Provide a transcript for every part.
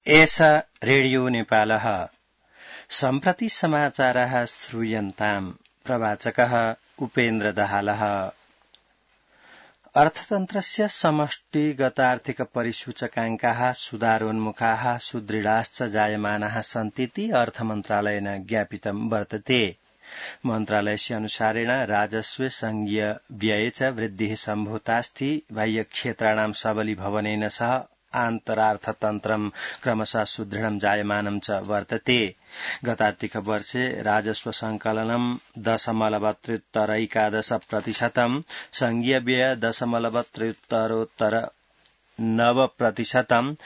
एषा रेडियो नेपालः सम्प्रति समाचारः श्रूयन्ताम् प्रवाचकः उपेन्द्र दाहालः। अर्थतन्त्रस्य समष्टिगतार्थिक परिसूचकाङ्काः सुधारोन्मुखाः सुदृढाश्च जायमानाः सन्तीति अर्थमन्त्रालयेन ज्ञापितं वर्तते। मन्त्रालयस्य अनुसारेण राजस्वे संघीय व्यये च वृद्धिः सम्भूतास्ति। बाह्यक्षेत्राणां सबलीभवनेन सह आन्तरार्थतन्त्रं क्रमशः सुदृढं जायमानं च वर्तते। गतार्थिक वर्षे राजस्व संकलनं 0.13%, संघीय व्यय 0.73%,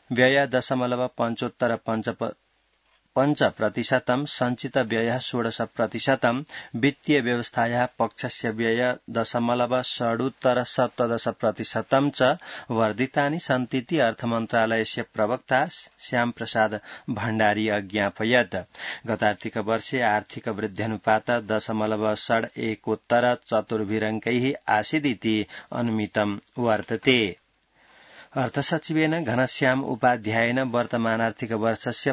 व्यय 0.75%, संचित व्ययः 16%, वित्तीय व्यवस्थायाः पक्षस्य व्यय 0.6% च वर्धितानि सन्तीति अर्थमन्त्रालयस्य प्रवक्ता श्यामप्रसाद भण्डारी अज्ञापयत्। गतार्थिक वर्षे आर्थिक वृद्ध्यनुपात 0.61% आसीदिति अनुमितं वर्तते। अर्थसचिवेन घनश्याम उपाध्यायेन वर्तमानार्थिक वर्षस्य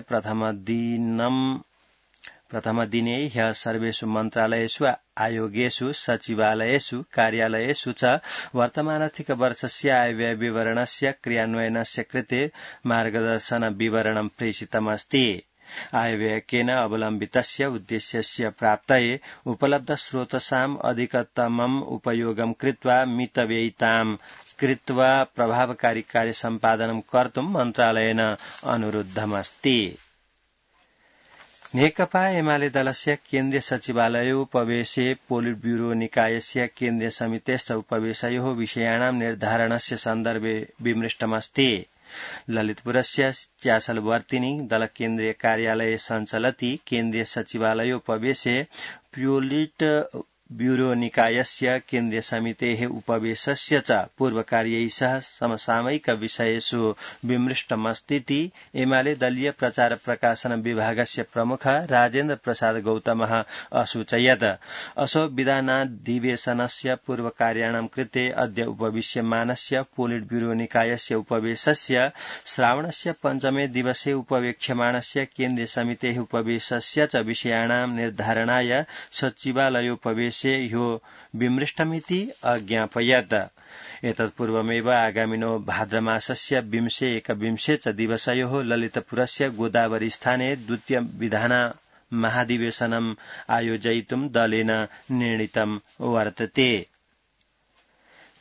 प्रथमदिने ह्यः सर्वेषु मन्त्रालयेषु आयोगेषु सचिवालयेषु कार्यालयेषु च वर्तमानार्थिक वर्षस्य आयव्यय विवरणस्य क्रियान्वयनस्य कृते मार्गदर्शन विवरणं प्रेषितमस्ति। आयव्ययकेन अवलम्बितस्य उद्देश्यस्य प्राप्तये उपलब्ध स्रोतसाम् अधिकतमम् उपयोगं कृत्वा मितव्ययिताम् कृत्वा प्रभावकारी कार्य सम्पादनं कर्तुं मन्त्रालयेन अनुरुद्धमस्ति। नेकपा एमाले दलस्य केन्द्रीय सचिवालयोपवेशे पोलिट ब्यूरो निकायस्य केन्द्रीय समितेश्च उपवेशयोः विषयाणां निर्धारणस्य सन्दर्भे विमृष्टमस्ति। ललितपुरस्य च्यासलवर्तिनी दलकेन्द्रीय कार्यालये सञ्चलति केन्द्रीय सचिवालयोपवेशे पोलिट ब्यूरो निकायस्य केन्द्रीय समितेः उपवेशस्य च पूर्वकार्यैः सह समसामयिक विषयेषु विमृष्टमस्तीति एमाले दलीय प्रचार प्रकाशन विभागस्य प्रमुख राजेन्द्र प्रसाद गौतमः असूचयत्। असौ विधानाधिवेशनस्य पूर्वकार्याणां कृते अद्य उपविश्यमानस्य पोलिट ब्यूरो निकायस्य उपवेशस्य श्रावणस्य पञ्चमे दिवसे उपवेक्ष्यमाणस्य केन्द्रीय समितेः उपवेशस्य च विषयाणां निर्धारणाय सचिवालयोपवेशे ह्यो विमृष्टमिति अज्ञापयत्। एतत्पूर्वमेव आगामिनो भाद्रमासस्य 20-21 च दिवसयोः ललितपुरस्य गोदावरीस्थाने द्वितीय विधान महाधिवेशनम् आयोजयितुं दलेन निर्णीतं वर्तते।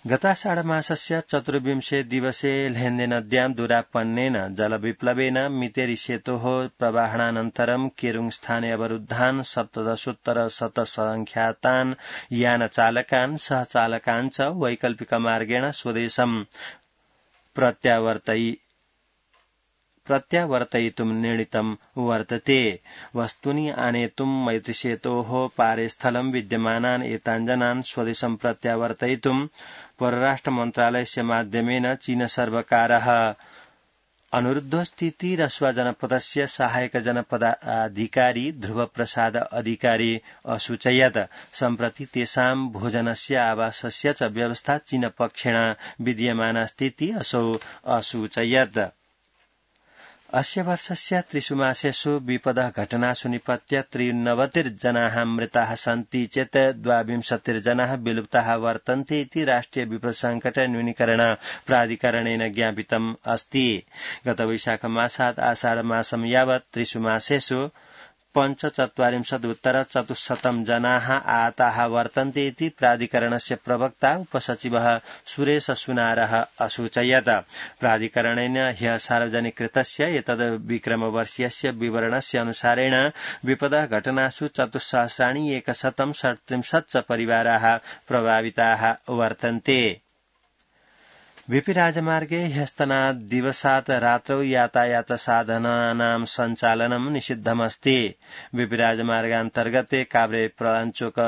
गताषाढमासस्य 24 दिवसे लेन्देनद्यां दुरापन्नेन जलविप्लवेन मितेरी सेतोः प्रवाहणानन्तरं केरुङ स्थाने अवरुद्धान् 17,100 यानचालकान् सहचालकान् च वैकल्पिकमार्गेण स्वदेशं प्रत्यावर्तयितुं निर्णीतं वर्तते। वस्तूनि आनेतुं मैत्रीसेतोः पारे स्थलं विद्यमानान् एतान् जनान् स्वदेशं प्रत्यावर्तयितुं परराष्ट्र मन्त्रालयस्य माध्यमेन चीन सर्वकारः अनुरुद्धोऽस्तीति रसुआ जनपदस्य सहायक जनपदाधिकारी ध्रुव प्रसाद अधिकारी असूचयत्। सम्प्रति तेषां भोजनस्य आवासस्य च व्यवस्था चीन पक्षेण विद्यमानास्तीति असौ असूचयत्। अस्य वर्षस्य 3 मासेषु विपदः घटनासु निपत्य 93 जनाः मृताः सन्ति चेत् 22 जनाः विलुप्ताः वर्तन्ते इति राष्ट्रिय विपद संकट न्यूनीकरण प्राधिकरणेन ज्ञापितम् अस्ति। गत वैशाखमासात् आषाढमासं यावत् 3 मासेषु 45,400 जनाः आहताः वर्तन्ते इति प्राधिकरणस्य प्रवक्ता उपसचिवः सुरेश सुनारः असूचयत्। प्राधिकरणेन ह्यः सार्वजनिकृतस्य एतद् विक्रमवर्षीयस्य विवरणस्य अनुसारेण विपदः घटनासु 4,137 च परिवाराः प्रभाविताः वर्तन्ते। वीपी राजमार्गे ह्यस्तनादिवसात् रात्रौ यातायात साधनानां सञ्चालनं निषिद्धमस्ति। वीपी राजमार्गान्तर्गते काभ्रे प्रलाञ्चोक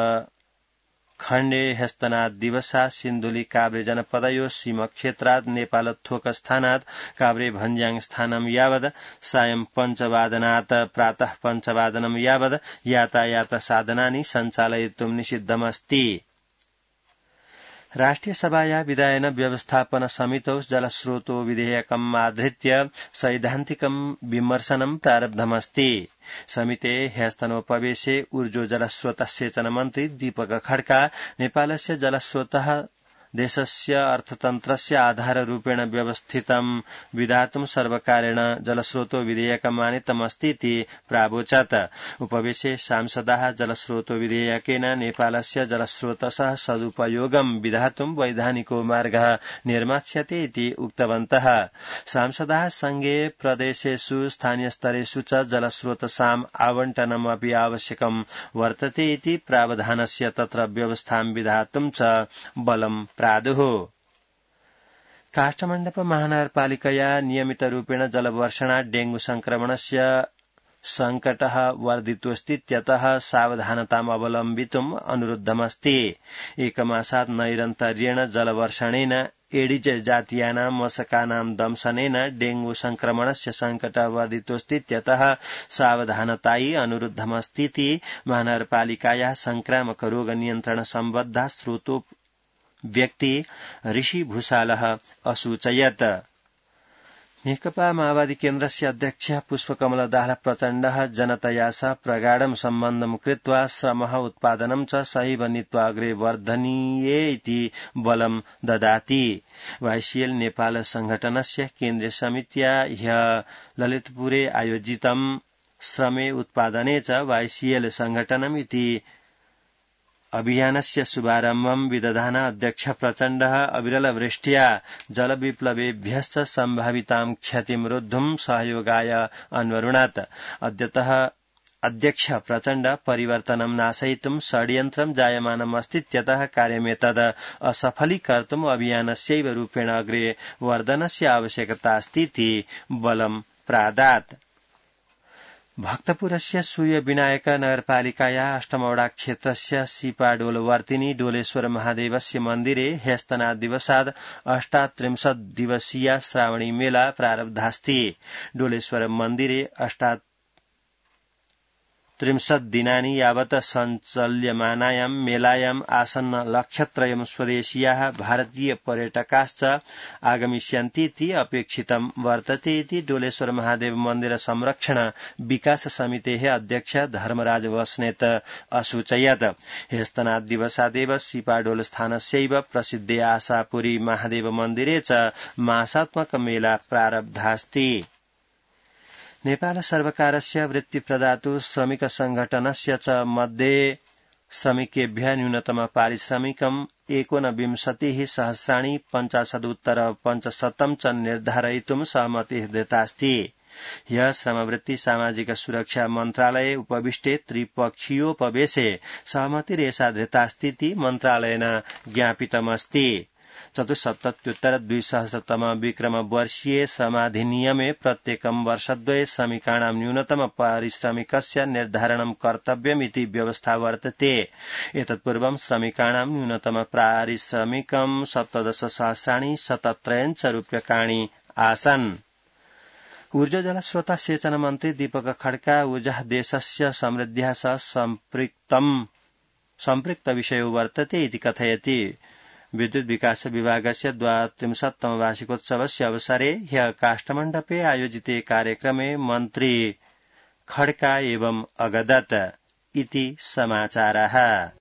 खण्डे ह्यस्तनादिवसात् सिन्धुली काभ्रे जनपदयोः सीमक्षेत्रात् नेपालथोक स्थानात् काभ्रे भन्ज्याङ स्थानं यावत् सायं 5 वादनात् प्रातः 5 वादनं यावत् यातायात साधनानि सञ्चालयितुं निषिद्धमस्ति। राष्ट्रिय सभाया विधायन व्यवस्थापन समितौ जलस्रोतो विधेयकमाधृत्य सैद्धान्तिकं विमर्शनं प्रारब्धमस्ति। समिते ह्यस्तनोपवेशे ऊर्जो जलस्रोत सेचन मन्त्री दीपक खड्का नेपालस्य जलस्रोतः देशस्य अर्थतन्त्रस्य आधाररूपेण व्यवस्थितं विधातुं सर्वकारेण जलस्रोतो विधेयकमानीतमस्ति इति प्रावोचत्। उपवेशे सांसदाः जलस्रोतो विधेयकेन नेपालस्य जलस्रोतसः सदुपयोगं विधातुं वैधानिको मार्गः निर्मास्यते इति उक्तवन्तः। सांसदाः संघे प्रदेशेषु स्थानीयस्तरेषु च जलस्रोतसाम् आवण्टनमपि आवश्यकं वर्तते इति प्रावधानस्य तत्र व्यवस्थां विधातुं च बलं प्रादुः। काष्ठमण्डप महानगरपालिकया नियमितरूपेण जलवर्षणात् डेंगू संक्रमणस्य संकटः वर्धितोऽस्तीत्यतः सावधानताम् अवलम्बितुम् अनुरुद्धमस्ति। एकमासात् नैरन्तर्येण जलवर्षणेन एडिज जातीयानां मशकानां दंशनेन डेंगू संक्रमणस्य संकटः वर्धितोऽस्तीत्यतः सावधानतायै अनुरुद्धमस्तीति महानगरपालिकायाः संक्रामक रोग नियन्त्रण सम्बद्धा स्रोतो व्यक्ति ऋषि भूषालः असूचयत्। नेकपा माओवादी केन्द्रस्य अध्यक्ष पुष्पकमल दाहाल प्रचण्डः जनतया सह प्रगाढं सम्बन्धं कृत्वा श्रमः उत्पादनं च सहैव नीत्वा अग्रे वर्धनीये इति बलं ददाति। वाईसीएल नेपाल संघटनस्य केन्द्रीय समित्या ह्यः ललितपुरे आयोजितं श्रमे उत्पादने च वाईसीएल संघटनम् इति अभियानस्य शुभारम्भं विदधान अध्यक्ष प्रचण्डः अविरलवृष्ट्या जलविप्लवेभ्यश्च सम्भावितां क्षतिं रोद्धुं सहयोगाय अन्वरुणात्। अद्यतः अध्यक्ष प्रचण्ड परिवर्तनं नाशयितुं षड्यन्त्रं जायमानमस्तीत्यतः कार्यमेतद् असफलीकर्तुम् अभियानस्यैव रूपेण अग्रे वर्धनस्य आवश्यकता अस्तीति बलं प्रादात्। भक्तपुरस्य सूर्य विनायक नगरपालिकाया अष्टमवडा क्षेत्रस्य सीपाडोलवर्तिनी डोलेश्वर महादेवस्य मन्दिरे ह्यस्तनादिवसाद् 38 दिवसीया श्रावणी मेला प्रारब्धास्ति। डोलेश्वर मन्दिरे 38 दिनानि यावत् सञ्चल्यमानायां मेलायाम् आसन्न लक्षत्रयं स्वदेशीयाः भारतीय पर्यटकाश्च आगमिष्यन्तीति अपेक्षितं वर्तते इति डोलेश्वर महादेव मन्दिर संरक्षण विकास समितेः अध्यक्ष धर्मराज बस्नेत असूचयत्। ह्यस्तनादिवसादेव सीपाडोल स्थानस्यैव प्रसिद्धे आशापुरी महादेव मन्दिरे च मासात्मक मेला प्रारब्धास्ति। नेपाल सर्वकारस्य वृत्तिप्रदातु श्रमिक संघटनस्य च मध्ये श्रमिकेभ्यः न्यूनतम पारिश्रमिकम् 19,000,550 च निर्धारयितुं सहमतिः दत्तास्ति। ह्यः श्रमवृत्ति सामाजिक सुरक्षा मन्त्रालये उपविष्टे त्रिपक्षीयोपवेशे सहमतिरेषा धृतास्तीति मन्त्रालयेन ज्ञापितमस्ति। 74,200 विक्रम वर्षीये श्रमाधिनियमे प्रत्येकं वर्षद्वये श्रमिकाणां न्यूनतम पारिश्रमिकस्य निर्धारणं कर्तव्यमिति व्यवस्था वर्तते। एतत्पूर्वं श्रमिकाणां न्यूनतम पारिश्रमिकं 17,077 रूप्यकाणि आसन्। ऊर्जा जलस्रोत सेचन मन्त्री दीपक खड्का ऊर्जा देशस्य समृद्ध्या सह सम्पृक्त विषयो वर्तते इति कथयति। विद्युत विकास विभागस्य 32तम वार्षिकोत्सवस्य अवसरे ह्यः काष्ठमण्डपे आयोजिते कार्यक्रमे मन्त्री खड्का एवं अगदत् इति समाचारः।